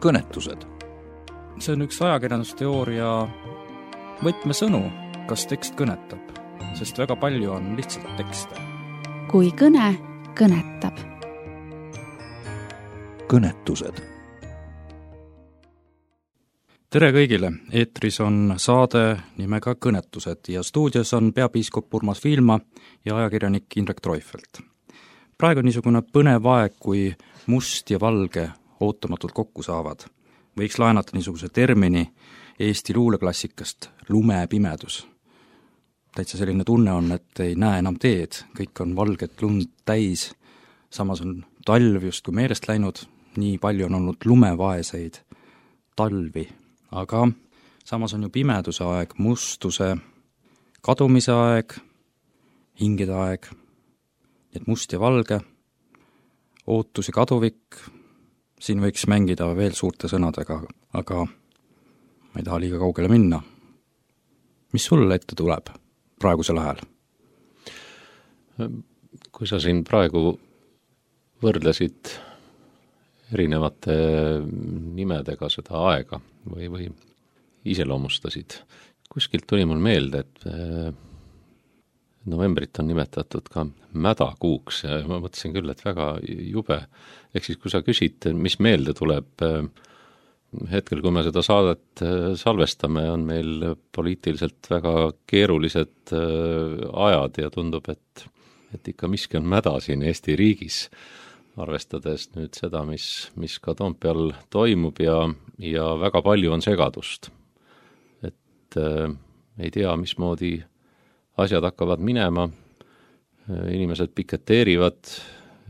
kõnetused. See on üks ajakirjandusteooria võtmesõnu, kas tekst kõnetab, sest väga palju on lihtsalt tekste. Kui kõne kõnetab. Kõnetused. Tere kõigile! Eetris on saade nimega Kõnetused ja stuudios on peapiiskop Urmas Viilma ja ajakirjanik Indrek Treufelt. Praegu on niisugune põnev aeg, kui must ja valge ootamatult kokku saavad. Võiks laenata niisuguse termini Eesti luuleklassikast lumepimedus. Täitsa selline tunne on, et ei näe enam teed, kõik on valget lund täis, samas on talv justkui meelest läinud, nii palju on olnud lumevaeseid talvi, aga samas on ju pimeduse aeg, mustuse kadumise aeg, hingede aeg, et must ja valge, ootus ja kaduvik, siin võiks mängida veel suurte sõnadega, aga ma ei taha liiga kaugele minna. Mis sulle ette tuleb praegusel ajal? Kui sa siin praegu võrdlesid erinevate nimedega seda aega või iseloomustasid, kuskilt tuli mul meelde, et novembrit on nimetatud ka mädakuuks ja ma mõtlesin küll, et väga jube. Ehk siis, kui sa küsid, mis meelde tuleb, hetkel, kui me seda saadet salvestame, on meil poliitiliselt väga keerulised ajad ja tundub, et ikka miski on mäda siin Eesti riigis, arvestades nüüd seda, mis ka Toompeal toimub ja väga palju on segadust. Et ei tea, mismoodi asjad hakkavad minema, inimesed piketeerivad,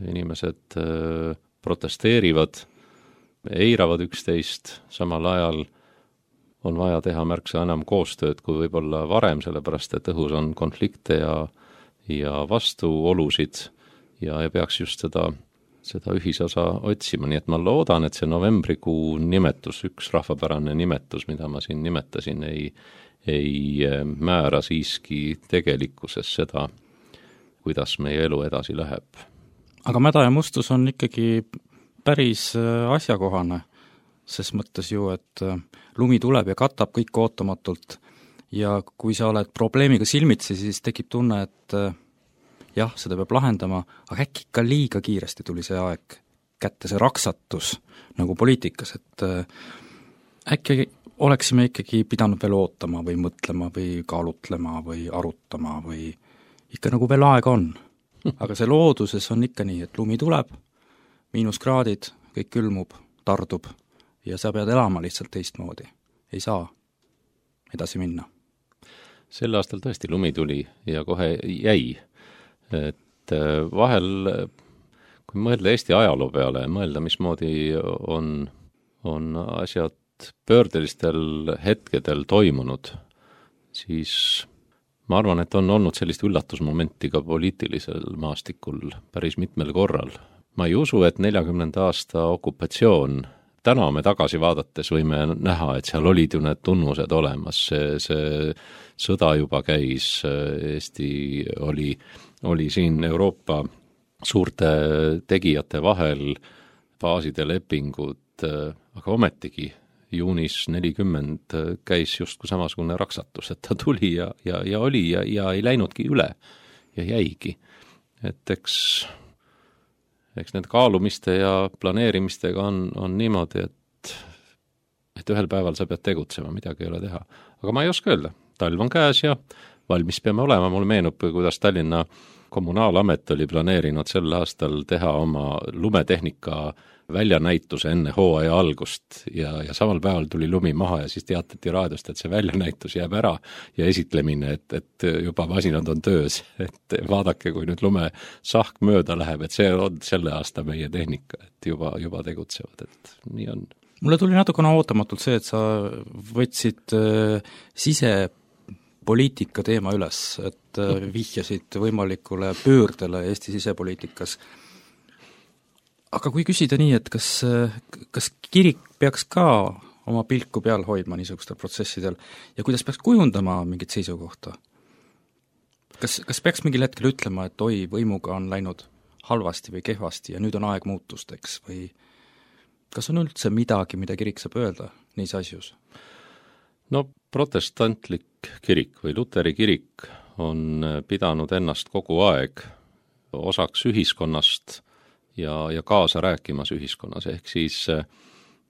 inimesed protesteerivad, eiravad üksteist, samal ajal on vaja teha märksa enam koostööd kui võib-olla varem, sellepärast et õhus on konflikte ja vastuolusid ja peaks just seda ühisosa otsima, nii et ma loodan, et see novembrikuu nimetus, üks rahvapärane nimetus, mida ma siin nimetasin, ei määra siiski tegelikkuses seda, kuidas meie elu edasi läheb. Aga mäda ja mustus on ikkagi päris asjakohane, ses mõttes ju, et lumi tuleb ja katab kõik ootamatult ja kui sa oled probleemiga silmitsi, siis tekib tunne, et jah, seda peab lahendama, aga äkki ikka liiga kiiresti tuli see aeg kätte, see raksatus nagu poliitikas, et äkki oleksime ikkagi pidanud veel ootama või mõtlema või kaalutlema või arutama või ikka nagu veel aega on. Aga see looduses on ikka nii, et lumi tuleb, miinuskraadid, kõik külmub, tardub ja sa pead elama lihtsalt teistmoodi. Ei saa edasi minna. Sel aastal tõesti lumi tuli ja kohe jäi. Et vahel, kui mõelda Eesti ajaloo peale, mõelda, mismoodi on asjad pöördelistel hetkedel toimunud, siis ma arvan, et on olnud sellist üllatusmomenti ka poliitilisel maastikul päris mitmel korral. Ma ei usu, et 40. aasta okupatsioon, täna me tagasi vaadates võime näha, et seal olid ju need tunnused olemas, see sõda juba käis, Eesti oli siin Euroopa suurte tegijate vahel, baaside lepingud, aga ometigi juunis 40 käis justkui samasugune raksatus, et ta tuli ja oli ja ei läinudki üle ja jäigi. Et eks need kaalumiste ja planeerimistega on niimoodi, et ühel päeval sa pead tegutsema, midagi ei ole teha. Aga ma ei oska öelda, talv on käes ja valmis peame olema, mul meenub, kuidas Tallinna kommunaalamet oli planeerinud sel aastal teha oma lumetehnika väljanäituse enne hooaja algust ja samal päeval tuli lumi maha ja siis teatati raadiost, et see väljanäitus jääb ära ja esitlemine, et juba masinad on töös, et vaadake, kui nüüd lumesahk mööda läheb, et see on selle aasta meie tehnika, et juba tegutsevad, et nii on. Mulle tuli natukene ootamatult see, et sa võtsid sisepoliitika teema üles, et vihjasid võimalikule pöördele Eesti sisepoliitikas. Aga kui küsida nii, et kas kirik peaks ka oma pilku peal hoidma niisugustel protsessidel ja kuidas peaks kujundama mingit seisukohta? Kas peaks mingil hetkel ütlema, et oi, võimuga on läinud halvasti või kehvasti ja nüüd on aeg muutusteks või Kas on üldse midagi, mida kirik saab öelda neis asjus? No protestantlik kirik või luteri kirik on pidanud ennast kogu aeg osaks ühiskonnast ja kaasa rääkimas ühiskonnas, ehk siis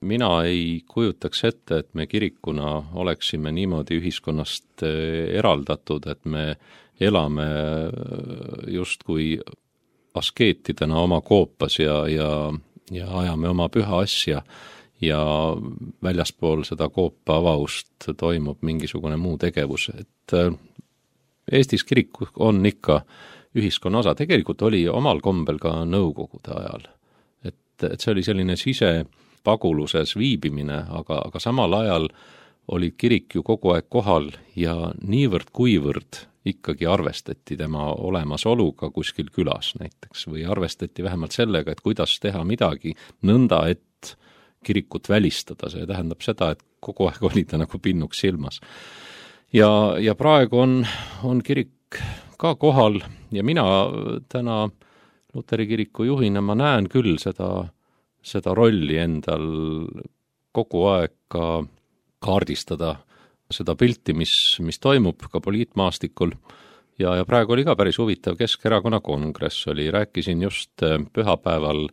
mina ei kujutaks ette, et me kirikuna oleksime niimoodi ühiskonnast eraldatud, et me elame justkui askeetidena oma koopas ja ajame oma püha asja ja väljaspool seda koopa avavust toimub mingisugune muu tegevus, et Eestis kirik on ikka ühiskonna osa, tegelikult oli omal kombel ka nõukogude ajal, et see oli selline sisepaguluses viibimine, aga samal ajal oli kirik ju kogu aeg kohal ja niivõrd-kuivõrd ikkagi arvestati tema olemasoluga kuskil külas näiteks või arvestati vähemalt sellega, et kuidas teha midagi nõnda, et kirikut välistada, see tähendab seda, et kogu aeg oli ta nagu pinnuks silmas. Ja praegu on kirik ka kohal ja mina täna Luteri kiriku juhina ma näen küll seda rolli endal kogu aeg ka kaardistada seda pilti, mis toimub ka poliitmaastikul ja praegu oli ka päris huvitav Keskerakonna kongress oli, rääkisin just pühapäeval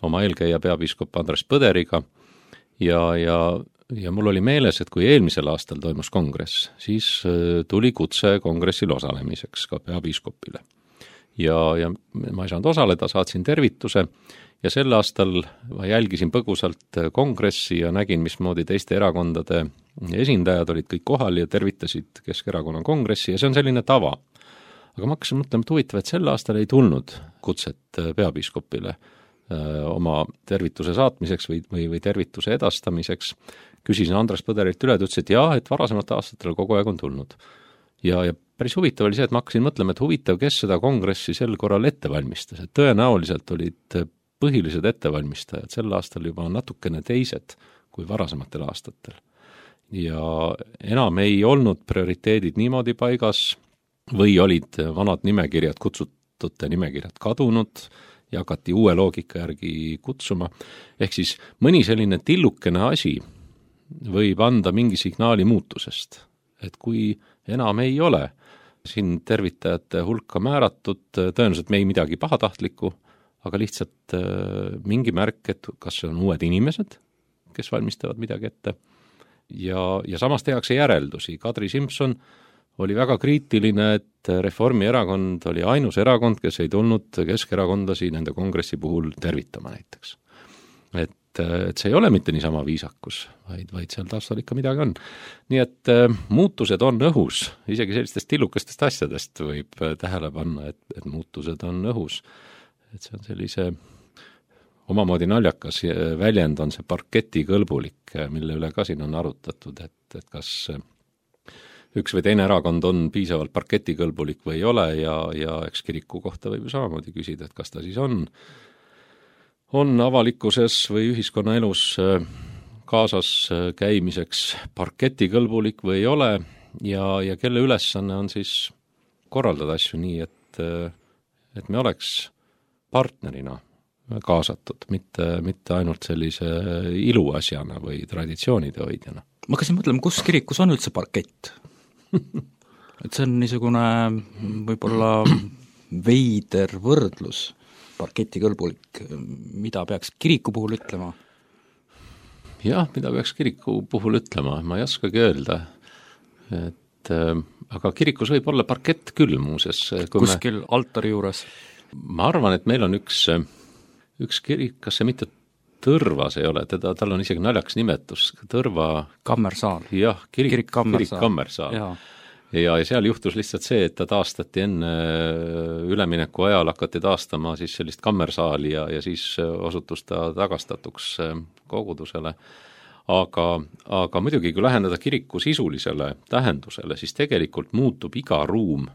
oma eelkäija peapiiskop Andres Põderiga ja mul oli meeles, et kui eelmisel aastal toimus kongress, siis tuli kutse kongressil osalemiseks ka peapiiskopile. Ja ma ei saanud osaleda, saatsin tervituse ja sel aastal ma jälgisin põgusalt kongressi ja nägin, mismoodi teiste erakondade esindajad olid kõik kohal ja tervitasid Keskerakonna kongressi ja see on selline tava. Aga ma hakkasin mõtlema, et huvitav, et sel aastal ei tulnud kutset peapiiskopile oma tervituse saatmiseks või tervituse edastamiseks. Küsisin Andres Põderilt üle, ta ütles, et jah, et varasemalt aastatel kogu aeg on tulnud. Ja päris huvitav oli see, et ma hakkasin mõtlema, et huvitav, kes seda kongressi sel korral ette valmistas, et tõenäoliselt olid põhilised ettevalmistajad sel aastal juba natukene teised kui varasematel aastatel. Ja enam ei olnud prioriteedid niimoodi paigas või olid vanad nimekirjad, kutsutute nimekirjad kadunud ja hakati uue loogika järgi kutsuma. Ehk siis mõni selline tillukene asi võib anda mingi signaali muutusest, et kui enam ei ole siin tervitajate hulka määratud, tõenäoliselt me ei midagi pahatahtlikku, aga lihtsalt mingi märk, et kas see on uued inimesed, kes valmistavad midagi ette. Ja samas tehakse järeldusi. Kadri Simson oli väga kriitiline, et Reformierakond oli ainus erakond, kes ei tulnud keskerakondlasi nende kongressi puhul tervitama näiteks. Et see ei ole mitte niisama viisakus, vaid seal taustal ikka midagi on. Nii et muutused on õhus, isegi sellistest tillukestest asjadest võib tähele panna, et muutused on õhus. Et see on sellise omamoodi naljakas väljend on see parketikõlbulik, mille üle ka siin on arutatud, et kas üks või teine erakond on piisavalt parketikõlbulik või ei ole ja eks kiriku kohta võib ju samamoodi küsida, et kas ta siis on avalikkuses või ühiskonnaelus kaasas käimiseks parketikõlbulik või ei ole ja kelle ülesanne on siis korraldada asju nii, et me oleks partnerina kaasatud, mitte ainult sellise iluasjana või traditsioonide hoidjana. Ma hakkasin mõtlema, kus kirikus on üldse parkett? Et see on niisugune võib-olla veider võrdlus, parketikõlbulik, mida peaks kiriku puhul ütlema? Jah, mida peaks kiriku puhul ütlema, ma ei oskagi öelda, et aga kirikus võib olla parkett küll muuses. Kuskil altari juures? Ma arvan, et meil on üks kirik, kas see mitte Tõrvas ei ole, tal on isegi naljakas nimetus, Tõrva Kammersaal. Jah, kirik Kammersaal. Kammersaal. Ja seal juhtus lihtsalt see, et ta taastati enne ülemineku ajal, hakati taastama siis sellist kammersaali ja siis osutus ta tagastatuks kogudusele. Aga muidugi, kui läheneda kiriku sisulisele tähendusele, siis tegelikult muutub iga ruum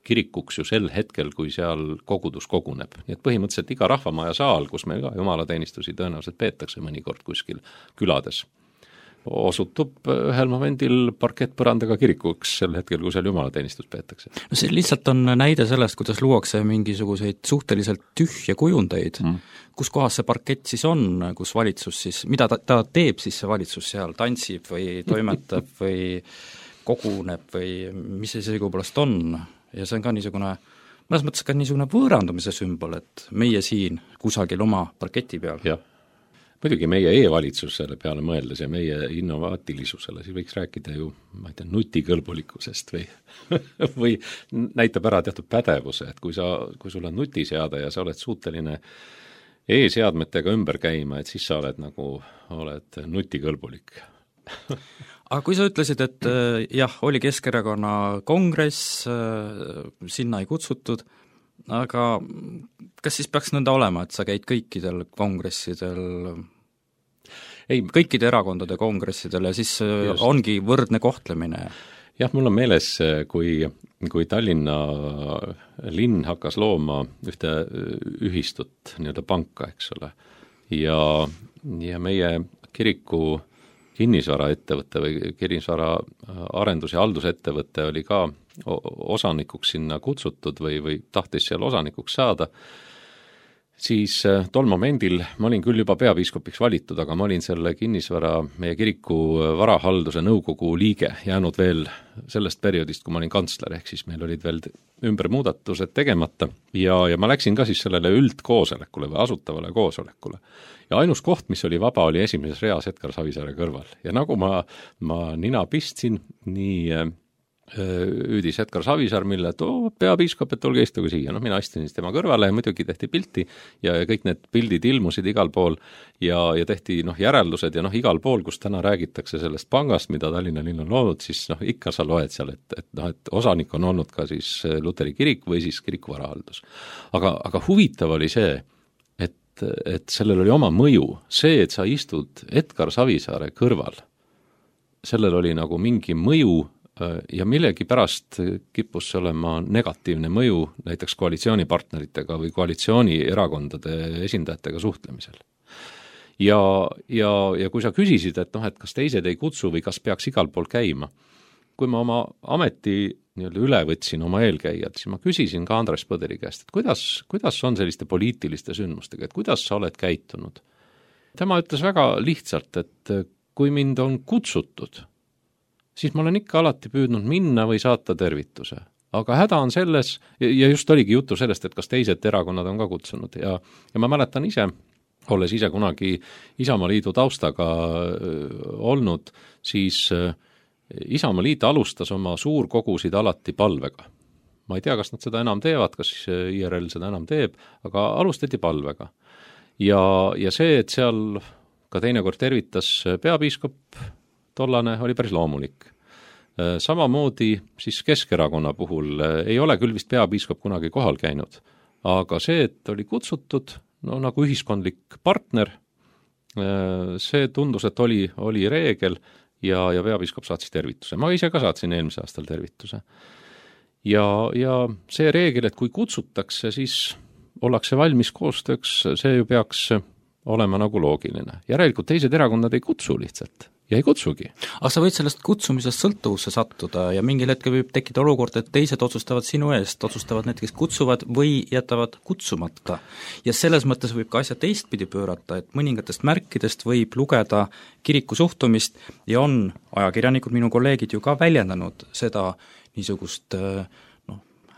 kirikuks ju sel hetkel, kui seal kogudus koguneb. Nii et põhimõtteliselt iga rahvamaja saal, kus meil ka jumalateenistusi tõenäoliselt peetakse mõnikord kuskil külades, osutub ühel momendil parkettpõrandaga kirikuks sel hetkel, kui seal jumalateenistus peetakse. No see lihtsalt on näide sellest, kuidas luuakse mingisuguseid suhteliselt tühje kujundeid, kus kohas see parkett siis on, kus valitsus siis, mida ta teeb siis see valitsus seal, tantsib või toimetab või koguneb või mis see õigupoolest on, ja see on ka niisugune, mõnes mõttes ka niisugune võõrandumise sümbol, et meie siin kusagil oma parketi peal. Jah. Muidugi meie e-valitsusele peale mõeldes ja meie innovaatilisusele, siis võiks rääkida ju, ma ei tea, nutikõlbulikkusest või näitab ära teatud pädevuse, et kui sul on nutiseade ja sa oled suuteline e-seadmetega ümber käima, et siis sa oled nutikõlbulik. Aga kui sa ütlesid, et jah, oli Keskerakonna kongress, sinna ei kutsutud, aga kas siis peaks nõnda olema, et sa käid kõikidel kongressidel, kõikide erakondade kongressidel ja siis just ongi võrdne kohtlemine? Jah, mul on meeles, kui Tallinna linn hakkas looma ühte ühistut, nii-öelda panka, eks ole, ja meie kiriku kinnisvaraettevõte või kinnisvara arendus- ja haldusettevõte oli ka osanikuks sinna kutsutud või tahtis seal osanikuks saada, siis tol momendil ma olin küll juba peapiiskopiks valitud, aga ma olin selle kinnisvara meie kiriku varahalduse nõukogu liige, jäänud veel sellest perioodist, kui ma olin kantsler, ehk siis meil olid veel ümbermuudatused tegemata ja ma läksin ka siis sellele üldkoosolekule või asutavale koosolekule. Ja ainus koht, mis oli vaba, oli esimeses reas Edgar Savisaare kõrval. Ja nagu ma nina pistsin, nii hüüdis Edgar Savisaar, mille et peapiiskop, et olge istuge siia. Mina istusin tema kõrvale ja muidugi tehti pilti ja kõik need pildid ilmusid igal pool ja tehti järeldused ja igal pool, kus täna räägitakse sellest pangast, mida Tallinna linn on loonud, siis ikka sa loed seal, et osanik on olnud ka siis Luteri kirik või siis kiriku varahaldus. Aga huvitav oli see, et sellel oli oma mõju. See, et sa istud Edgar Savisaare kõrval, sellel oli nagu mingi mõju ja millegi pärast kippus see olema negatiivne mõju näiteks koalitsioonipartneritega või koalitsioonierakondade esindajatega suhtlemisel. Ja kui sa küsisid, et kas teised ei kutsu või kas peaks igal pool käima, kui ma oma ameti üle võtsin oma eelkäijad, siis ma küsisin ka Andres Põderi käest, et kuidas on selliste poliitiliste sündmustega, et kuidas sa oled käitunud. Tema ütles väga lihtsalt, et kui mind on kutsutud, siis ma olen ikka alati püüdnud minna või saata tervituse. Aga häda on selles, ja just oligi jutu sellest, et kas teised erakonnad on ka kutsunud ja ma mäletan ise, olles ise kunagi Isamaaliidu taustaga olnud, siis Isamaaliit alustas oma suurkogusid alati palvega. Ma ei tea, kas nad seda enam teevad, kas IRL seda enam teeb, aga alustati palvega. Ja see, et seal ka teinekord tervitas peapiiskop, tollane oli päris loomulik. Samamoodi siis Keskerakonna puhul ei ole küll vist peapiiskop kunagi kohal käinud, aga see, et oli kutsutud nagu ühiskondlik partner, see tundus, et oli reegel ja peapiiskop saatis tervituse. Ma ise ka saatsin eelmise aastal tervituse. Ja see reegel, et kui kutsutakse, siis ollakse valmis koostööks, see ju peaks olema nagu loogiline. Järelikult teised erakonnad ei kutsu lihtsalt ja ei kutsugi. Aga sa võid sellest kutsumisest sõltuvusse sattuda ja mingil hetkel võib tekkida olukord, et teised otsustavad sinu eest, otsustavad need, kes kutsuvad või jätavad kutsumata. Ja selles mõttes võib ka asja teistpidi pöörata, et mõningatest märkidest võib lugeda kiriku suhtumist ja on ajakirjanikud, minu kolleegid ju ka väljendanud seda niisugust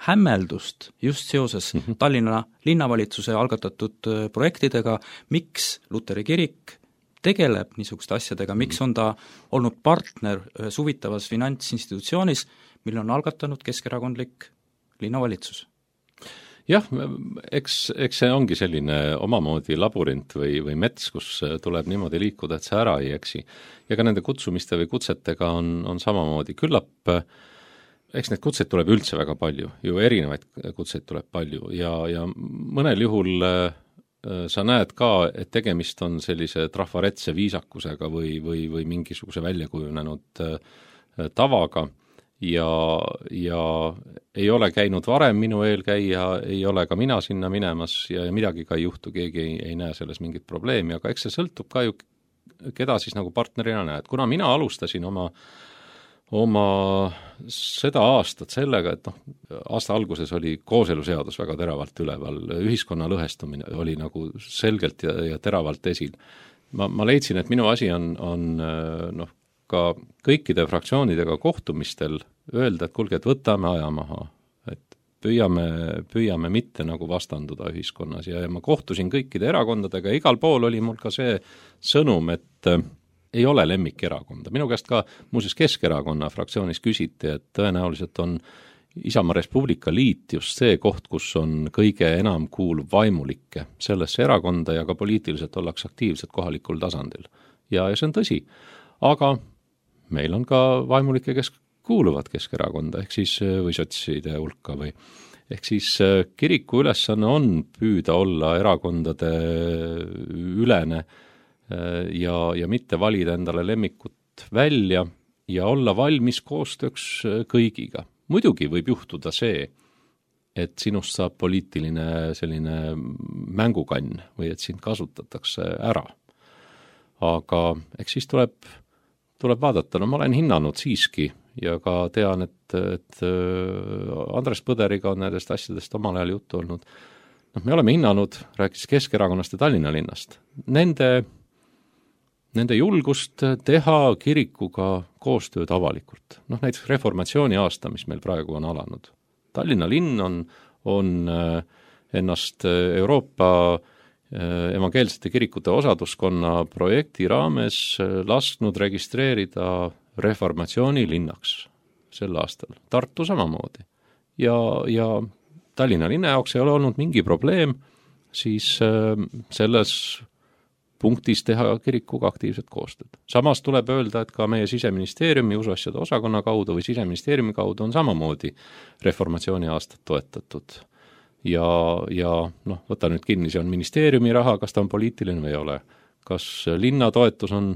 hämmeldust just seoses Tallinna linnavalitsuse algatatud projektidega, miks Luteri kirik tegeleb niisuguste asjadega, miks on ta olnud partner ühes huvitavas finantsinstitutsioonis, mille on algatanud keskerakondlik linnavalitsus. Jah, eks see ongi selline omamoodi labürint või mets, kus tuleb niimoodi liikuda, et see ära ei eksi. Ja ka nende kutsumiste või kutsetega on samamoodi. Küllap, eks need kutseid tuleb üldse väga palju, ju erinevaid kutseid tuleb palju ja mõnel juhul sa näed ka, et tegemist on sellise trafaretse viisakusega või mingisuguse väljakujunenud tavaga ja ei ole käinud varem minu eelkäija, ei ole ka mina sinna minemas ja midagi ka ei juhtu, keegi ei näe selles mingit probleemi, aga eks see sõltub ka ju keda siis nagu partnerina näed. Kuna mina alustasin oma seda aastat sellega, et aasta alguses oli kooseluseadus väga teravalt üleval, ühiskonna lõhestumine oli nagu selgelt ja teravalt esil. Ma leidsin, et minu asi on ka kõikide fraktsioonidega kohtumistel öelda, et kuulge, et võtame aja maha, et püüame mitte nagu vastanduda ühiskonnas ja ma kohtusin kõikide erakondadega ja igal pool oli mul ka see sõnum, et ei ole lemmikerakonda. Minu käest ka muuseas Keskerakonna fraktsioonis küsiti, et tõenäoliselt on Isamaa Res Publica Liit just see koht, kus on kõige enam kuuluv vaimulikke sellesse erakonda ja ka poliitiliselt ollakse aktiivsed kohalikul tasandil. Ja see on tõsi. Aga meil on ka vaimulikke, kes kuuluvad Keskerakonda, ehk siis või sotside hulka või ehk siis kiriku ülesanne on püüda olla erakondade ülene ja mitte valida endale lemmikut välja ja olla valmis koostööks kõigiga. Muidugi võib juhtuda see, et sinust saab poliitiline selline mängukann või et sind kasutatakse ära. Aga eks siis tuleb vaadata, ma olen hinnanud siiski ja ka tean, et Andres Põderiga on nendest asjadest omal ajal juttu olnud. Me oleme hinnanud, rääkis Keskerakonnast ja Tallinna linnast, nende julgust teha kirikuga koostööd avalikult. Näiteks reformatsiooni aasta, mis meil praegu on alanud. Tallinna linn on ennast Euroopa evangeelsete kirikute osaduskonna projekti raames lasknud registreerida reformatsiooni linnaks sel aastal. Tartu samamoodi. Ja Tallinna linna jaoks ei ole olnud mingi probleem siis selles punktis teha kirikuga aktiivset koostööd. Samas tuleb öelda, et ka meie Siseministeeriumi usuasjade osakonna kaudu või Siseministeeriumi kaudu on samamoodi reformatsiooni aastat toetatud. Ja võta nüüd kinni, see on ministeeriumi raha, kas ta on poliitiline või ei ole. Kas linna toetus on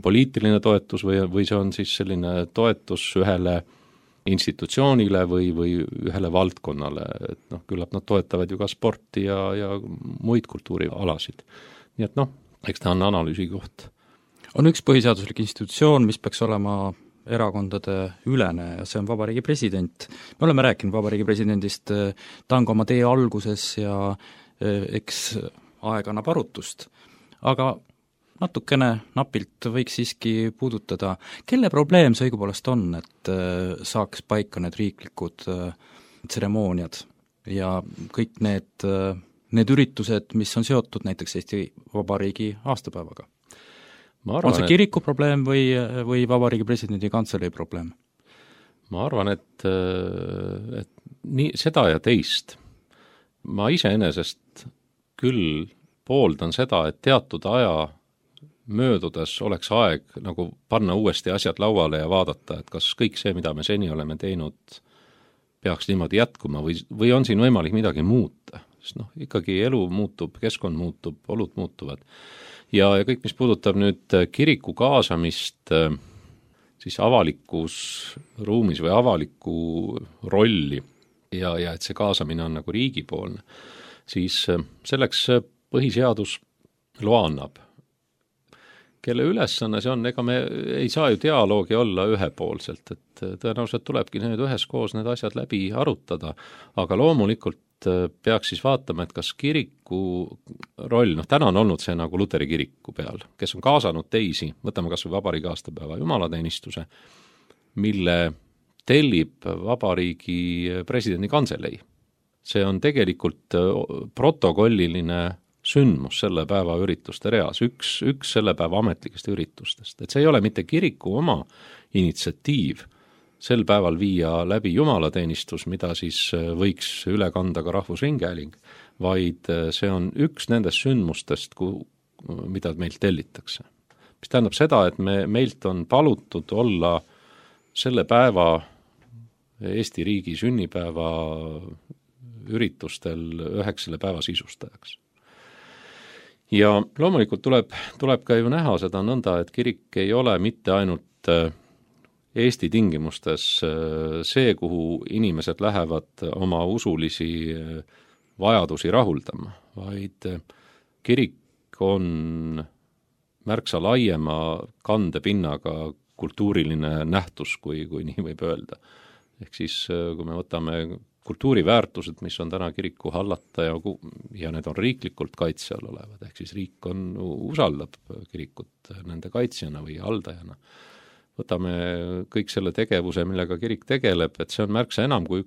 poliitiline toetus või see on siis selline toetus ühele institutsioonile või ühele valdkonnale. Et küllap nad toetavad ju ka sporti ja muid kultuurialasid. Nii et eks ta on analüüsi koht. On üks põhiseaduslik institutsioon, mis peaks olema erakondade ülene ja see on Vabariigi President. Me oleme rääkinud Vabariigi Presidendist, ta on ka oma tee alguses ja eks aeg annab arutust. Aga natukene napilt võiks siiski puudutada, kelle probleem see õigupoolest on, et saaks paika need riiklikud tseremooniad ja kõik need üritused, mis on seotud näiteks Eesti Vabariigi aastapäevaga. On see kiriku probleem või Vabariigi Presidendi kantselei probleem? Ma arvan, et nii seda ja teist. Ma iseenesest küll pooldan seda, et teatud aja möödudes oleks aeg nagu panna uuesti asjad lauale ja vaadata, et kas kõik see, mida me seni oleme teinud, peaks niimoodi jätkuma või on siin võimalik midagi muuta. Sest ikkagi elu muutub, keskkond muutub, olud muutuvad. Ja kõik, mis puudutab nüüd kiriku kaasamist siis avalikus ruumis või avaliku rolli ja et see kaasamine on nagu riigipoolne, siis selleks põhiseadus loa annab. Kelle ülesanne see on, ega me ei saa ju dialoogi olla ühepoolselt, et tõenäoliselt tulebki need üheskoos need asjad läbi arutada, aga loomulikult peaks siis vaatama, et kas kiriku roll, täna on olnud see nagu Luteri kiriku peal, kes on kaasanud teisi, võtame kas või Vabariigi aastapäeva jumalateenistuse, mille tellib Vabariigi presidendi kantselei. See on tegelikult protokolliline sündmus selle päeva ürituste reas, üks selle päeva ametlikest üritustest. Et see ei ole mitte kiriku oma initsiatiiv sel päeval viia läbi jumalateenistus, mida siis võiks üle kanda ka Rahvusringhääling, vaid see on üks nendest sündmustest, mida meilt tellitakse. Mis tähendab seda, et meilt on palutud olla selle päeva Eesti riigi sünnipäeva üritustel üheks selle päeva sisustajaks. Ja loomulikult tuleb ka ju näha seda nõnda, et kirik ei ole mitte ainult Eesti tingimustes see, kuhu inimesed lähevad oma usulisi vajadusi rahuldama, vaid kirik on märksa laiema kandepinnaga kultuuriline nähtus, kui nii võib öelda. Ehk siis, kui me võtame kultuuriväärtused, mis on täna kiriku hallata ja need on riiklikult kaitse all olevad, ehk siis riik usaldab kirikut nende kaitsjana või haldajana. Võtame kõik selle tegevuse, millega kirik tegeleb, et see on märksa enam kui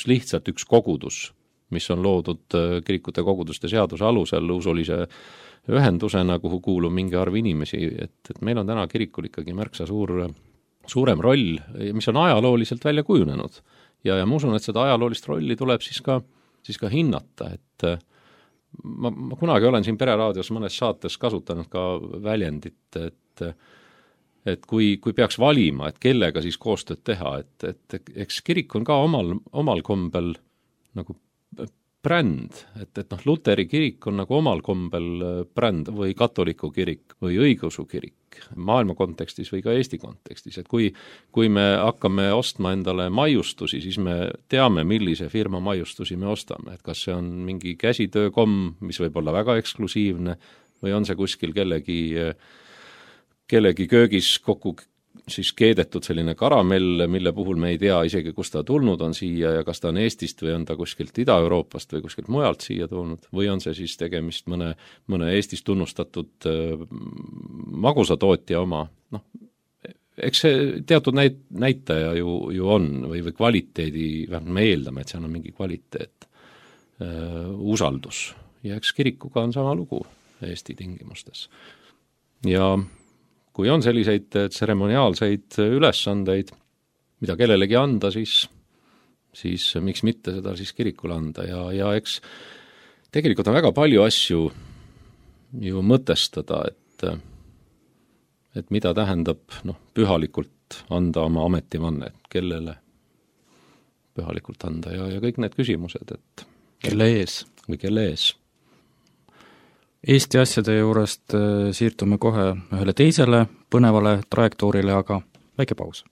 lihtsalt üks kogudus, mis on loodud kirikute koguduste seaduse alusel usulise ühendusena, kuhu kuulub mingi arv inimesi, et meil on täna kirikul ikkagi märksa suurem roll, mis on ajalooliselt välja kujunenud. Ja ma usun, et seda ajaloolist rolli tuleb siis ka hinnata, et ma kunagi olen siin Pereraadios mõnes saates kasutanud ka väljendit, et kui peaks valima, et kellega siis koostööd teha, et eks kirik on ka omal kombel nagu bränd, et Luteri kirik on nagu omal kombel bränd või katoliku kirik või õigeusu kirik maailma kontekstis või ka Eesti kontekstis, et kui me hakkame ostma endale maiustusi, siis me teame, millise firma maiustusi me ostame, et kas see on mingi käsitöökomm, mis võib olla väga eksklusiivne või on see kuskil kellegi köögis kokku siis keedetud selline karamell, mille puhul me ei tea isegi, kust ta tulnud on siia ja kas ta on Eestist või on ta kuskilt Ida-Euroopast või kuskilt mujalt siia tulnud või on see siis tegemist mõne Eestis tunnustatud magusatootja oma. Eks see teatud näitaja ju on või kvaliteedi, me eeldame, et seal on mingi kvaliteet, usaldus ja eks kirikuga on sama lugu Eesti tingimustes. Ja kui on selliseid tseremoniaalseid ülesandeid, mida kellelegi anda, siis miks mitte seda siis kirikule anda ja eks tegelikult on väga palju asju ju mõtestada, et mida tähendab pühalikult anda oma ametivanne, kellele pühalikult anda ja kõik need küsimused, et kelle ees või kelle ees. Eesti asjade juurest siirdume kohe ühele teisele põnevale trajektoorile, aga väike paus.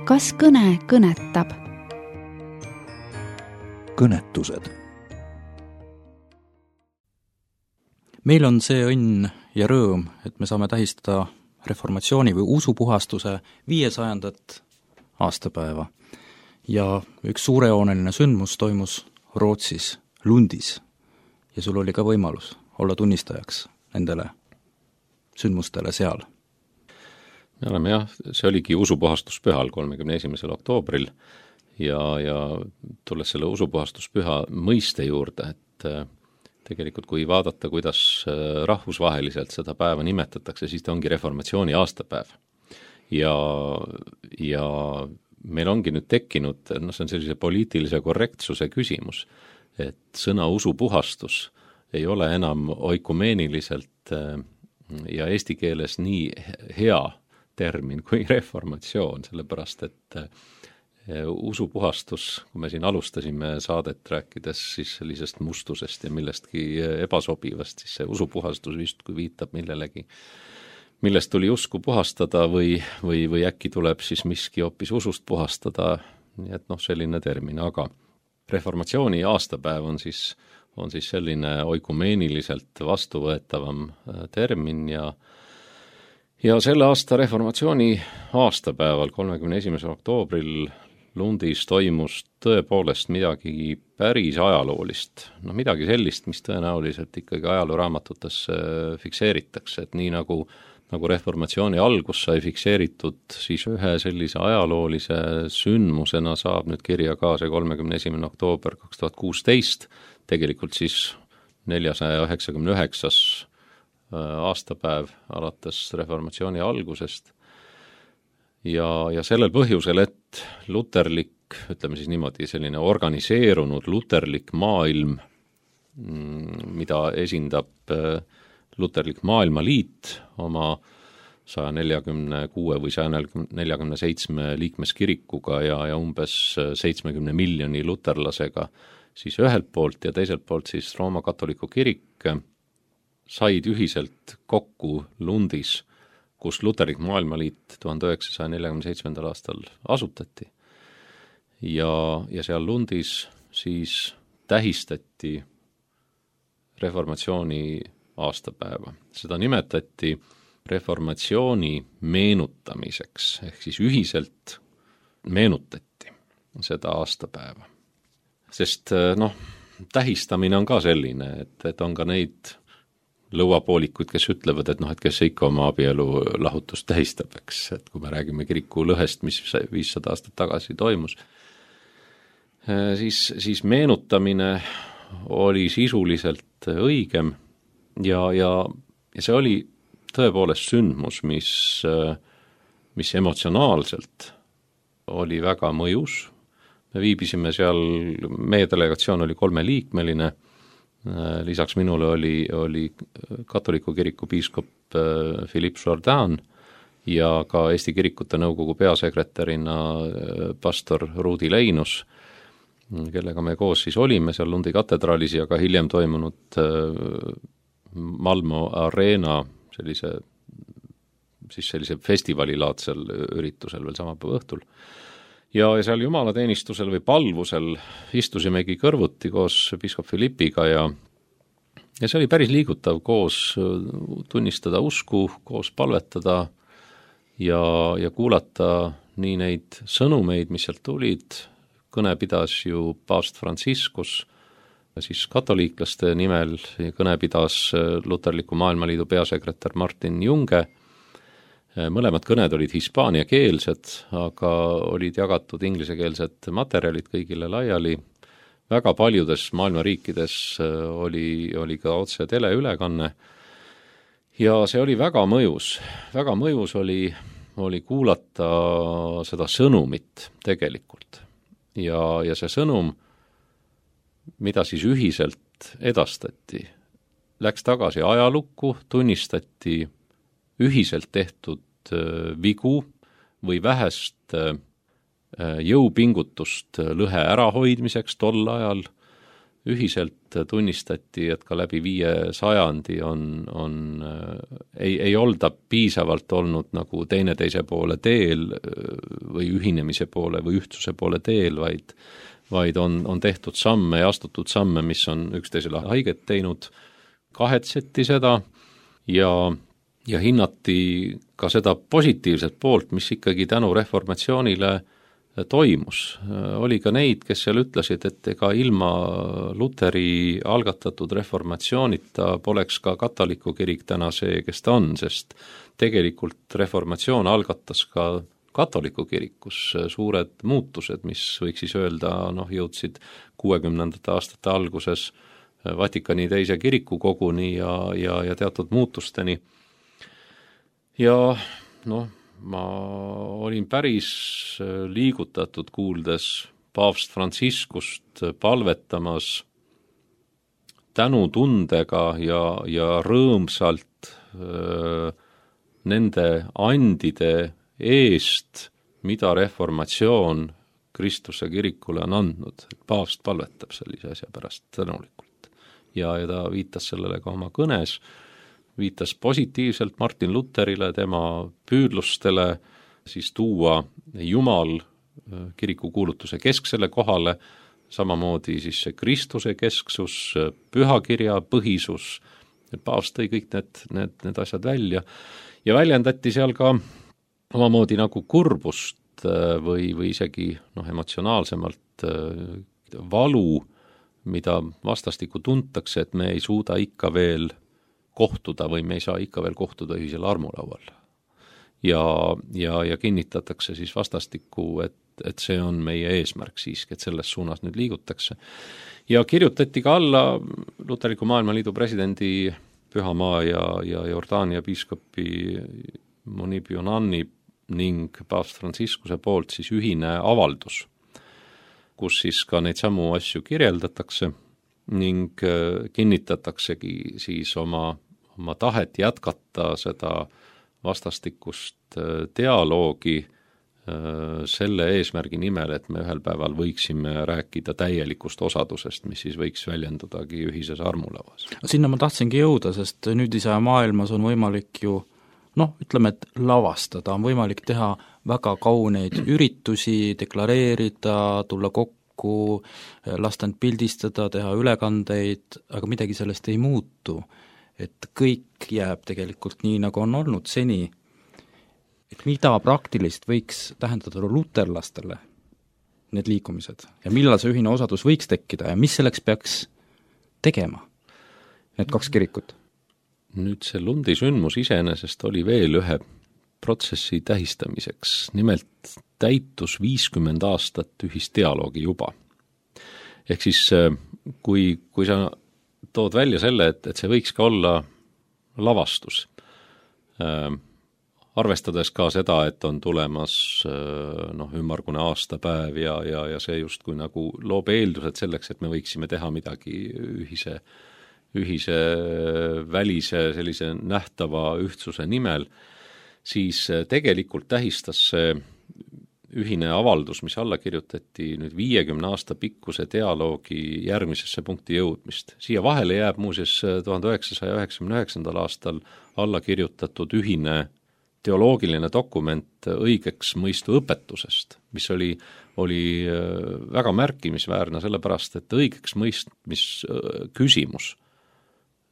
kas kõne kõnetab? Kõnetused. Meil on see õnn ja rõõm, et me saame tähistada reformatsiooni või usupuhastuse 500. aastapäeva. Ja üks suurejooneline sündmus toimus Rootsis, Lundis. Ja sul oli ka võimalus olla tunnistajaks nendele sündmustele seal. Me oleme see oligi usupuhastuspühal 31. oktoobril ja tulles selle usupuhastuspüha mõiste juurde, et tegelikult kui vaadata, kuidas rahvusvaheliselt seda päeva nimetatakse, siis ta ongi reformatsiooni aastapäev. Ja meil ongi nüüd tekkinud, see on sellise poliitilise korrektsuse küsimus, et sõna usupuhastus ei ole enam oikumeeniliselt ja eesti keeles nii hea termin kui reformatsioon, sellepärast et usupuhastus, kui me siin alustasime saadet rääkides siis sellisest mustusest ja millestki ebasobivast, siis see usupuhastus vist kui viitab millelegi, millest tuli usku puhastada või äkki tuleb siis miski hoopis usust puhastada, nii et selline termin, aga reformatsiooni aastapäev on siis selline oikumeeniliselt vastuvõetavam termin ja selle aasta reformatsiooni aastapäeval, 31. oktoobril Lundis toimus tõepoolest midagi päris ajaloolist, midagi sellist, mis tõenäoliselt ikkagi ajalooraamatutes fikseeritakse, et nii nagu reformatsiooni algus sai fikseeritud, siis ühe sellise ajaloolise sündmusena saab nüüd kirja ka see 31. oktoober 2016, tegelikult siis 499. aastapäev alates reformatsiooni algusest. Ja sellel põhjusel, et luterlik, ütleme siis niimoodi, selline organiseerunud luterlik maailm, mida esindab luterlik maailmaliit oma 146 või 147 liikmeskirikuga ja umbes 70 miljoni luterlasega, siis ühelt poolt ja teiselt poolt siis Rooma katoliku kirik said ühiselt kokku Lundis, kus luterlik maailmaliit 1947. aastal asutati. Ja seal Lundis siis tähistati reformatsiooni aastapäeva. Seda nimetati reformatsiooni meenutamiseks, ehk siis ühiselt meenutati seda aastapäeva. Sest tähistamine on ka selline, et on ka neid lõuapoolikuid, kes ütlevad, et kes ikka oma abielu lahutust tähistab, eks, et kui me räägime kiriku lõhest, mis 500 aastat tagasi toimus, siis meenutamine oli sisuliselt õigem ja see oli tõepoolest sündmus, mis emotsionaalselt oli väga mõjus. Me viibisime seal, meie delegatsioon oli 3-liikmeline, lisaks minule oli katoliku kiriku piiskop Philippe Jourdan ja ka Eesti Kirikute Nõukogu peasekretärina pastor Ruudi Leinus, kellega me koos siis olime seal Lundi katedraalis ja ka hiljem toimunud Malmo Arena sellise festivalilaadsel üritusel veel sama päeva õhtul. Ja seal jumalateenistusel või palvusel istusimegi kõrvuti koos piiskop Philippiga ja see oli päris liigutav koos tunnistada usku, koos palvetada ja kuulata nii neid sõnumeid, mis sealt tulid. Kõne pidas ju paavst Franciscus, siis katoliiklaste nimel, kõne pidas Luterliku Maailmaliidu peasekretär Martin Junge. Mõlemad kõned olid hispaaniakeelsed, aga olid jagatud inglisekeelsed materjalid kõigile laiali. Väga paljudes maailma riikides oli ka otse teleülekanne ja see oli väga mõjus. Väga mõjus oli kuulata seda sõnumit tegelikult. Ja see sõnum, mida siis ühiselt edastati, läks tagasi ajalukku, tunnistati ühiselt tehtud vigu või vähest jõupingutust lõhe ärahoidmiseks tol ajal, ühiselt tunnistati, et ka läbi 500 ei olda piisavalt olnud nagu teineteise poole teel või ühinemise poole või ühtsuse poole teel, vaid on tehtud samme ja astutud samme, mis on üksteisele haiget teinud, kahetseti seda ja hinnati ka seda positiivset poolt, mis ikkagi tänu reformatsioonile toimus. Oli ka neid, kes seal ütlesid, et ega ilma Luteri algatatud reformatsioonita poleks ka katoliku kirik täna see, kes ta on, sest tegelikult reformatsioon algatas ka katoliku kirikus suured muutused, mis võiks siis öelda, jõudsid 60. aastate alguses Vatikani teise kirikukoguni ja teatud muutusteni. Ja ma olin päris liigutatud kuuldes paavst Franciscust palvetamas tänutundega ja rõõmsalt nende andide eest, mida reformatsioon Kristuse kirikule on andnud, et paavst palvetab sellise asja pärast tänulikult. Ja ta viitas sellele ka oma kõnes, viitas positiivselt Martin Luterile, tema püüdlustele siis tuua Jumal kiriku kuulutuse kesksele kohale, samamoodi siis see Kristuse kesksus, pühakirja põhisus, paavst tõi kõik need asjad välja ja väljendati seal ka omamoodi nagu kurbust või isegi emotsionaalsemalt valu, mida vastastikku tuntakse, et me ei suuda ikka veel kohtuda või me ei saa ikka veel kohtuda ühisel armulaual. Ja kinnitatakse siis vastastikku, et see on meie eesmärk siiski, et selles suunas nüüd liigutakse. Ja kirjutati ka alla Luterliku Maailmaliidu presidendi Pühamaa ja Jordaania piiskopi Munib Yunani ning paavst Franciscuse poolt siis ühine avaldus, kus siis ka neid samu asju kirjeldatakse ning kinnitataksegi siis oma tahet jätkata seda vastastikust dialoogi selle eesmärgi nimel, et me ühel päeval võiksime rääkida täielikust osadusest, mis siis võiks väljendudagi ühises armulauas. Sinna ma tahtsingi jõuda, sest nüüdise maailmas on võimalik ju ütleme, et lavastada, on võimalik teha väga kauneid üritusi, deklareerida, tulla kokku, lasta end pildistada, teha ülekandeid, aga midagi sellest ei muutu. Et kõik jääb tegelikult nii, nagu on olnud seni. Et mida praktilist võiks tähendada luterlastele need liikumised ja millal see ühine osadus võiks tekkida ja mis selleks peaks tegema, need kaks kirikut? Nüüd see Lundi sündmus iseenesest oli veel ühe protsessi tähistamiseks, nimelt täitus 50 aastat ühisdialoogi juba. Ehk siis kui sa tood välja selle, et see võiks ka olla lavastus, arvestades ka seda, et on tulemas ümmargune aastapäev ja see justkui nagu loob eeldused selleks, et me võiksime teha midagi ühise välise sellise nähtava ühtsuse nimel, siis tegelikult tähistas see ühine avaldus, mis alla kirjutati nüüd 50 aasta pikkuse dialoogi järgmisesse punkti jõudmist. Siia vahele jääb muuseas 1999. aastal alla kirjutatud ühine teoloogiline dokument õigeks mõistu õpetusest, mis oli väga märkimisväärne, sellepärast et õigeks mõistmis küsimus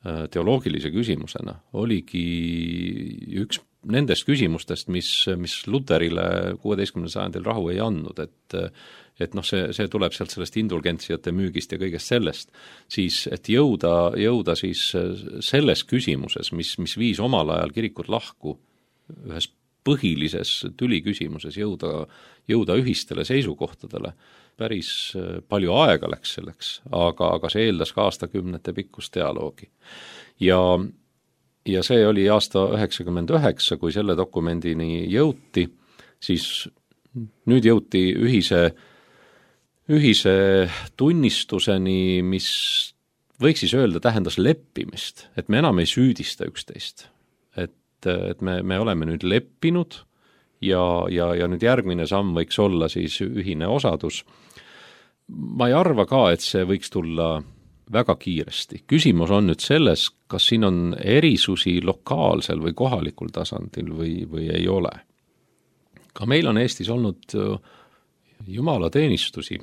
teoloogilise küsimusena oligi üks nendest küsimustest, mis Luterile 16. sajandil rahu ei andnud, et see tuleb sealt sellest indulgentsiate müügist ja kõigest sellest, siis et jõuda siis selles küsimuses, mis viis omal ajal kirikut lahku, ühes põhilises tüliküsimuses jõuda ühistele seisukohtadele, päris palju aega läks selleks, aga see eeldas ka aastakümnete pikkust dialoogi. Ja see oli aasta 1999, kui selle dokumendini jõuti, siis nüüd jõuti ühise tunnistuseni, mis võiks siis öelda tähendas leppimist, et me enam ei süüdista üksteist, et me oleme nüüd leppinud ja nüüd järgmine samm võiks olla siis ühine osadus. Ma ei arva ka, et see võiks tulla väga kiiresti. Küsimus on nüüd selles, kas siin on erisusi lokaalsel või kohalikul tasandil või ei ole. Ka meil on Eestis olnud jumalateenistusi,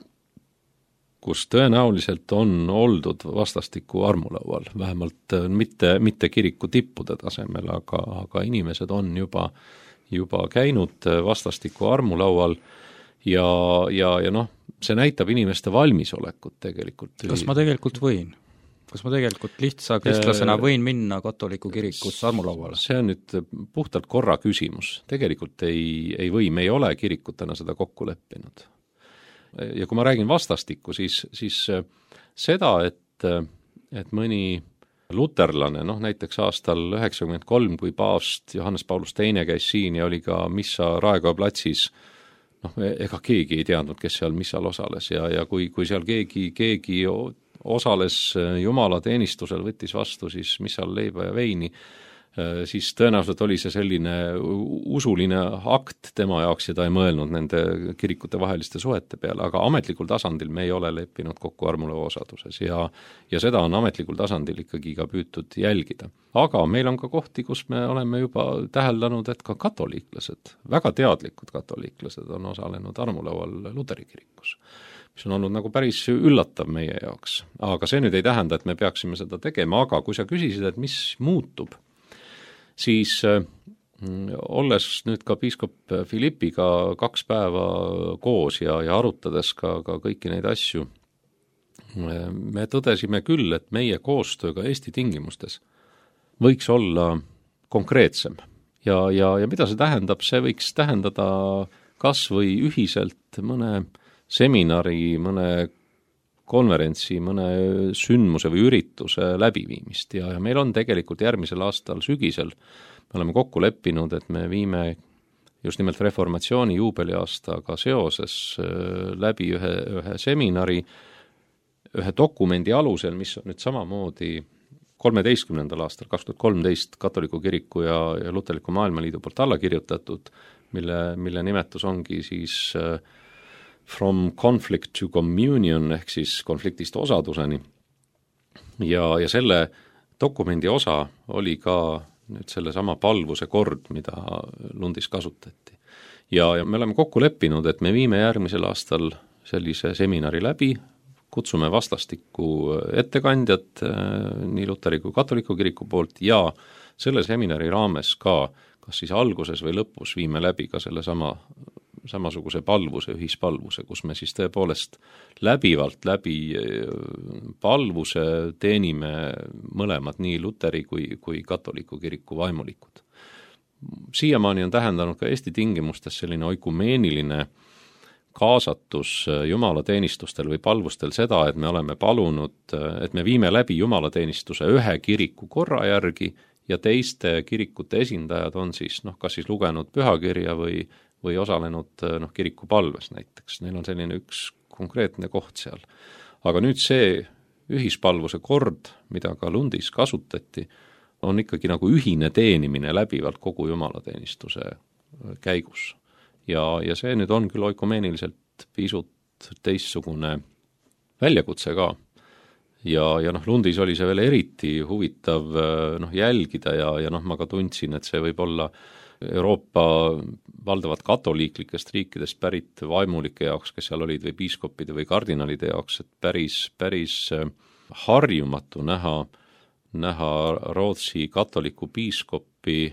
kus tõenäoliselt on oldud vastastiku armulaual, vähemalt mitte kiriku tippude tasemel, aga inimesed on juba käinud vastastiku armulaual ja noh, see näitab inimeste valmisolekut tegelikult. Kas ma tegelikult võin? Kas ma tegelikult lihtsa kristlasena võin minna katoliku kirikusse armulauale? See on nüüd puhtalt korra küsimus. Tegelikult ei või, me ei ole kirikutena seda kokku leppinud. Ja kui ma räägin vastastikku, siis seda, et mõni luterlane, näiteks aastal 1993, kui paavst Johannes Paulus II käis siin ja oli ka missa Raekoja platsis, ega keegi ei teadnud, kes seal missal osales ja kui seal keegi osales jumalateenistusel, võttis vastu siis missal leiba ja veini, siis tõenäoliselt oli see selline usuline akt tema jaoks ja ta ei mõelnud nende kirikute vaheliste suhete peale, aga ametlikul tasandil me ei ole leppinud kokku armulava osaduses ja seda on ametlikul tasandil ikkagi ka püütud jälgida. Aga meil on ka kohti, kus me oleme juba täheldanud, et ka katoliiklased, väga teadlikud katoliiklased on osalenud armulaual Luteri kirikus, mis on olnud nagu päris üllatav meie jaoks. Aga see nüüd ei tähenda, et me peaksime seda tegema, aga kui sa küsisid, et mis muutub, siis olles nüüd ka piiskop Philippiga 2 päeva koos ja arutades ka kõiki neid asju, me tõdesime küll, et meie koostööga Eesti tingimustes võiks olla konkreetsem. Ja mida see tähendab? See võiks tähendada kas või ühiselt mõne seminari, mõne konverentsi, mõne sündmuse või ürituse läbiviimist ja meil on tegelikult järgmisel aastal sügisel, me oleme kokku leppinud, et me viime just nimelt reformatsiooni juubeliaastaga seoses läbi ühe seminari, ühe dokumendi alusel, mis on nüüd samamoodi 13. aastal, 2013 Katoliku kiriku ja Luterliku Maailmaliidu poolt alla kirjutatud, mille nimetus ongi siis From conflict to communion ehk siis konfliktist osaduseni ja selle dokumendi osa oli ka nüüd selle sama palvuse kord, mida Lundis kasutati. Ja me oleme kokku leppinud, et me viime järgmisel aastal sellise seminari läbi, kutsume vastastikku ettekandjad nii Luteri kui Katoliku kiriku poolt ja selle seminari raames ka, kas siis alguses või lõpus viime läbi ka selle samasuguse palvuse, ühispalvuse, kus me siis tõepoolest läbivalt läbi palvuse teenime mõlemad nii Luteri kui Katoliku kiriku vaimulikud. Siiamaani on tähendanud ka Eesti tingimustes selline oikumeeniline kaasatus jumalateenistustel või palvustel seda, et me oleme palunud, et me viime läbi jumalateenistuse ühe kiriku korra järgi ja teiste kirikute esindajad on siis, kas siis lugenud pühakirja või osalenud kiriku palves näiteks. Neil on selline üks konkreetne koht seal. Aga nüüd see ühispalvuse kord, mida ka Lundis kasutati, on ikkagi nagu ühine teenimine läbivalt kogu jumalateenistuse käigus. Ja see nüüd on küll oikumeeniliselt pisut teistsugune väljakutse ka. Ja Lundis oli see veel eriti huvitav jälgida ja ma ka tundsin, et see võib olla Euroopa valdavad katoliiklikest riikidest pärit vaimulike jaoks, kes seal olid, või piiskopide või kardinalide jaoks, et päris harjumatu näha Rootsi katoliku piiskopi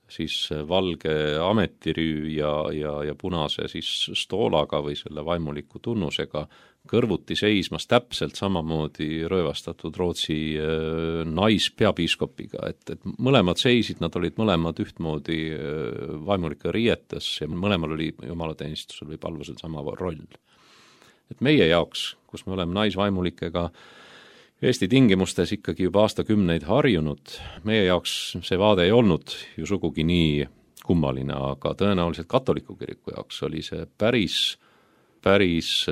siis valge ametirüü ja punase siis stoolaga või selle vaimuliku tunnusega kõrvuti seismas täpselt samamoodi röövastatud Rootsi naispeapiiskopiga, et mõlemad seisid, nad olid mõlemad ühtmoodi vaimulike riietes ja mõlemal oli jumalateenistusel või palvusel sama roll. Et meie jaoks, kus me oleme naisvaimulikega Eesti tingimustes ikkagi juba aastakümneid harjunud, meie jaoks see vaade ei olnud ju sugugi nii kummaline, aga tõenäoliselt Katoliku kiriku jaoks oli see päris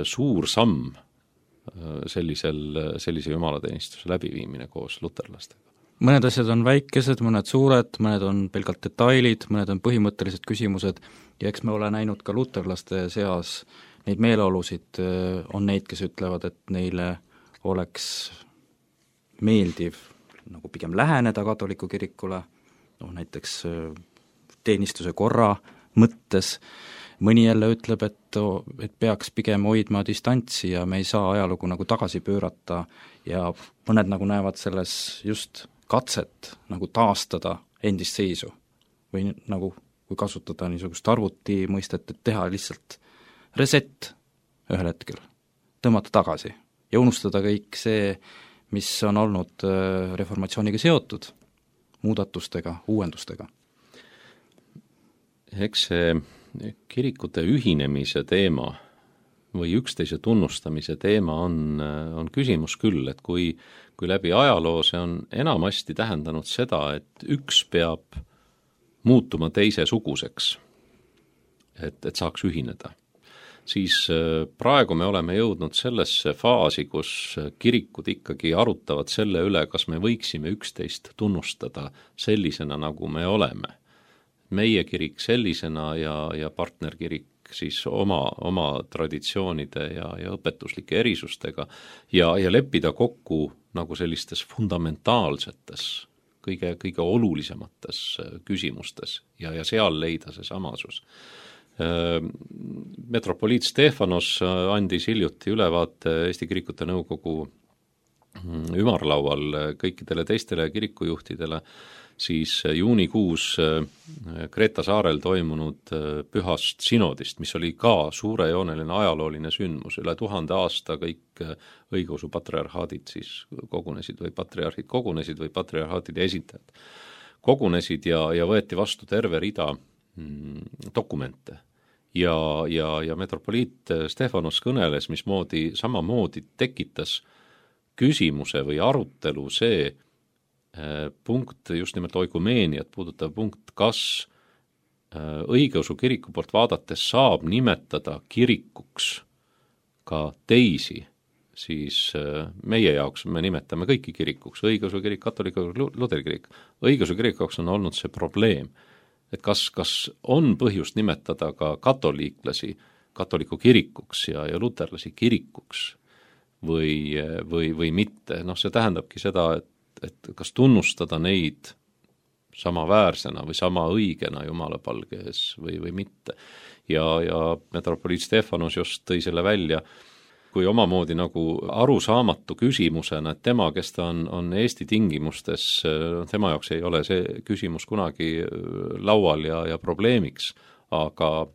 suur samm sellise jumalateenistuse läbiviimine koos luterlastega. Mõned asjad on väikesed, mõned suured, mõned on pelgalt detailid, mõned on põhimõttelised küsimused ja eks me ole näinud ka luterlaste seas neid meeleolusid, on neid, kes ütlevad, et neile oleks meeldiv nagu pigem läheneda katoliku kirikule, näiteks teenistuse korra mõttes, mõni jälle ütleb, et peaks pigem hoidma distantsi ja me ei saa ajalugu nagu tagasi pöörata ja mõned nagu näevad selles just katset nagu taastada endist seisu või nagu kui kasutada niisugust arvuti mõistet, et teha lihtsalt reset ühel hetkel, tõmmata tagasi ja unustada kõik see, mis on olnud reformatsiooniga seotud, muudatustega, uuendustega. Eks see kirikute ühinemise teema või üksteise tunnustamise teema on küsimus küll, et kui läbi ajaloo see on enamasti tähendanud seda, et üks peab muutuma teisesuguseks, et saaks ühineda, siis praegu me oleme jõudnud sellesse faasi, kus kirikud ikkagi arutavad selle üle, kas me võiksime üksteist tunnustada sellisena, nagu me oleme. Meie kirik sellisena ja partnerkirik siis oma traditsioonide ja õpetuslike erisustega ja leppida kokku nagu sellistes fundamentaalsetes, kõige olulisemates küsimustes ja seal leida see samasus. Metropoliit Stefanos andis hiljuti ülevaate Eesti Kirikute Nõukogu ümarlaual kõikidele teistele kirikujuhtidele, siis juunikuus Kreeta saarel toimunud pühast sinodist, mis oli ka suurejooneline ajalooline sündmus, üle 1000 aasta kõik õigeusu patriarhaadid siis kogunesid või patriarhid kogunesid või patriarhaatide esindajad kogunesid ja võeti vastu terve rida dokumente. Ja metropoliit Stefanos kõneles, mismoodi samamoodi tekitas küsimuse või arutelu see punkt, just nimelt oikumeeniat puudutav punkt, kas õigeusu kiriku poolt vaadates saab nimetada kirikuks ka teisi, siis meie jaoks me nimetame kõiki kirikuks, õigeusu kirik, katoliku, luteri kirik. Õigeusu kirikuks on olnud see probleem, et kas on põhjust nimetada ka katoliiklasi katoliku kirikuks ja luterlasi kirikuks või mitte. See tähendabki seda, et kas tunnustada neid samaväärsena või sama õigena Jumala palge ees või mitte. Ja metropoliit Stefanos just tõi selle välja, kui omamoodi nagu arusaamatu küsimusena, et tema, kes ta on Eesti tingimustes, tema jaoks ei ole see küsimus kunagi laual ja probleemiks, aga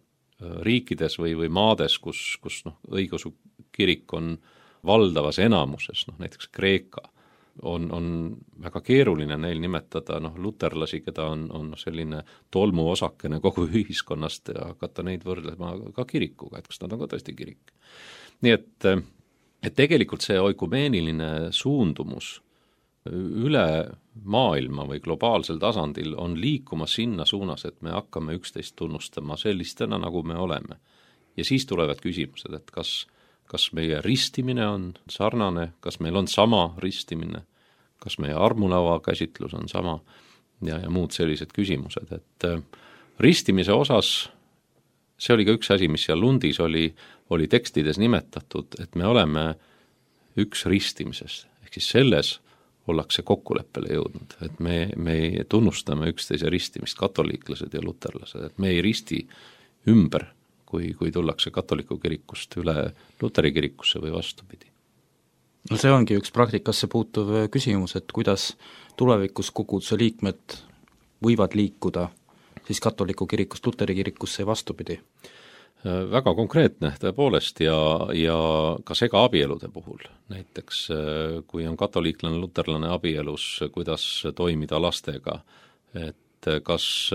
riikides või maades, kus õigeusu kirik on valdavas enamuses, näiteks Kreeka, on väga keeruline neil nimetada luterlasi, keda on selline tolmuosakene kogu ühiskonnast ja hakata neid võrdlema ka kirikuga, et kas nad on ka tõesti kirik. Nii et tegelikult see oikumeeniline suundumus üle maailma või globaalsel tasandil on liikuma sinna suunas, et me hakkame üksteist tunnustama sellistena, nagu me oleme. Ja siis tulevad küsimused, et kas meie ristimine on sarnane, kas meil on sama ristimine, kas meie armulaua käsitlus on sama ja muud sellised küsimused. Et ristimise osas, see oli ka üks asi, mis seal Lundis oli tekstides nimetatud, et me oleme üks ristimises, ehk siis selles ollakse kokkuleppele jõudnud, et me tunnustame üksteise ristimist, katoliiklased ja luterlased, et me ei risti ümber, kui tullakse katoliku kirikust üle luteri kirikusse või vastupidi. No see ongi üks praktikasse puutuv küsimus, et kuidas tulevikus koguduse liikmed võivad liikuda siis katoliku kirikust luteri kirikusse ja vastupidi? Väga konkreetne tõepoolest ja ka segaabielude puhul. Näiteks kui on katoliiklane, luterlane abielus, kuidas toimida lastega, et kas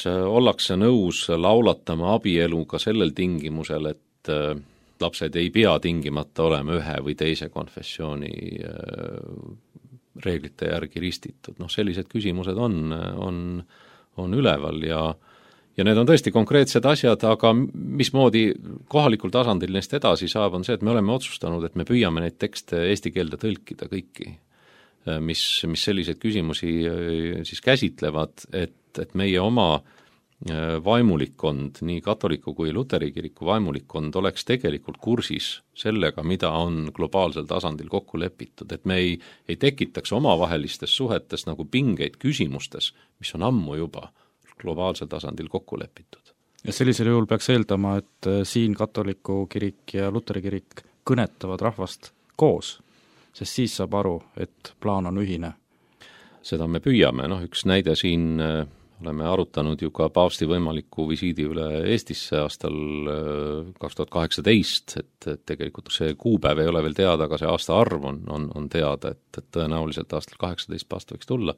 ollakse nõus laulatama abielu ka sellel tingimusel, et lapsed ei pea tingimata olema ühe või teise konfessiooni reeglite järgi ristitud. Sellised küsimused on üleval ja need on tõesti konkreetsed asjad, aga mismoodi kohalikul tasandil neist edasi saab, on see, et me oleme otsustanud, et me püüame neid tekste eesti keelde tõlkida kõiki, mis selliseid küsimusi siis käsitlevad, et meie oma vaimulikkond, nii katoliku kui luteri kiriku vaimulikkond oleks tegelikult kursis sellega, mida on globaalsel tasandil kokku lepitud, et me ei tekitaks omavahelistes suhetes nagu pingeid küsimustes, mis on ammu juba globaalsel tasandil kokku lepitud. Ja sellisel juhul peaks eeldama, et siin katoliku kirik ja luteri kirik kõnetavad rahvast koos, sest siis saab aru, et plaan on ühine. Seda me püüame, üks näide siin oleme arutanud ju ka paavsti võimaliku visiidi üle Eestisse aastal 2018, et tegelikult see kuupäev ei ole veel teada, aga see aasta arv on teada, et tõenäoliselt aastal 18 paavst võiks tulla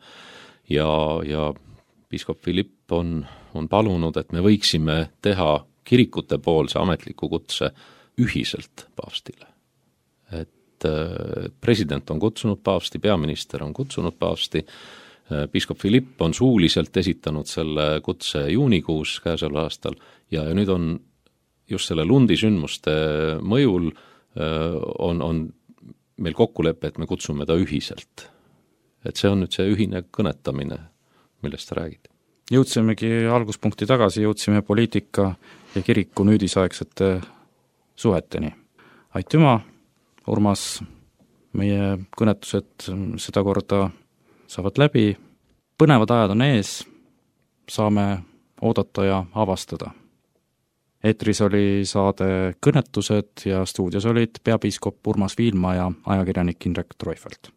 ja piiskop Philipp on palunud, et me võiksime teha kirikute poolse ametliku kutse ühiselt paavstile. Et president on kutsunud paavsti, peaminister on kutsunud paavsti, piiskop Philipp on suuliselt esitanud selle kutse juunikuus käesoleval aastal ja nüüd on just selle Lundi sündmuste mõjul on meil kokkulepe, et me kutsume ta ühiselt. Et see on nüüd see ühine kõnetamine, millest sa räägid. Jõudsimegi alguspunkti tagasi, jõudsime poliitika ja kiriku nüüdisaegsete suheteni. Aitüma, Urmas, meie kõnetused seda korda saavad läbi, põnevad ajad on ees, saame oodata ja avastada. Eetris oli saade Kõnetused ja stuudios olid peapiiskop Urmas Viilma ja ajakirjanik Indrek Treufelt.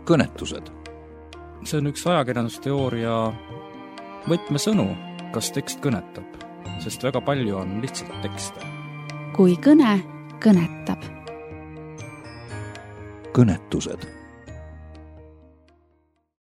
kõnetused. See on üks ajakirjandusteooria võtmesõnu, kas tekst kõnetab, sest väga palju on lihtsalt tekste. Kui kõne kõnetab. Kõnetused